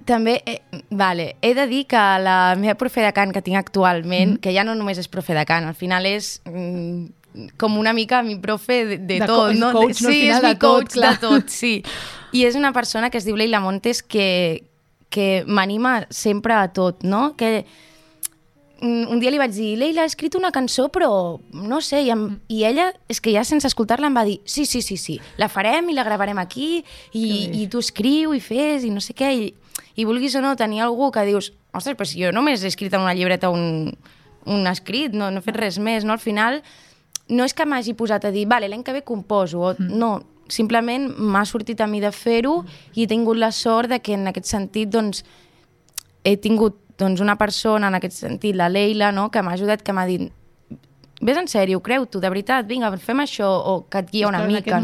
També, he de dir que la meva profe de cant que tinc actualment, que ja no només és profe de cant, al final és com una mica mi profe de tot, no? Coach, no? Sí, Al final, és mi coach clar. de tot, sí. I és una persona que es diu Leila Montes que m'anima sempre a tot, no? Que un dia li vaig dir, Leila, he escrit una cançó, però no sé, i ella, és que ja sense escoltar-la em va dir, sí, la farem i la gravarem aquí, i tu escriu i fes, i no sé què, i vulguis o no tenir algú que dius, ostres, però si jo només he escrit en una llibreta un escrit, no he fet res més, no? Al final, no és que m'hagi posat a dir, vale, l'any que ve composo, no, simplement m'ha sortit a mi de fer-ho i he tingut la sort de que en aquest sentit, doncs, he tingut una persona, en aquest sentit, la Leila, no?, que m'ha ajudat, que m'ha dit, vés en sèrio, creu-t'ho, de veritat, vinga, fem això, o que et guia una mica.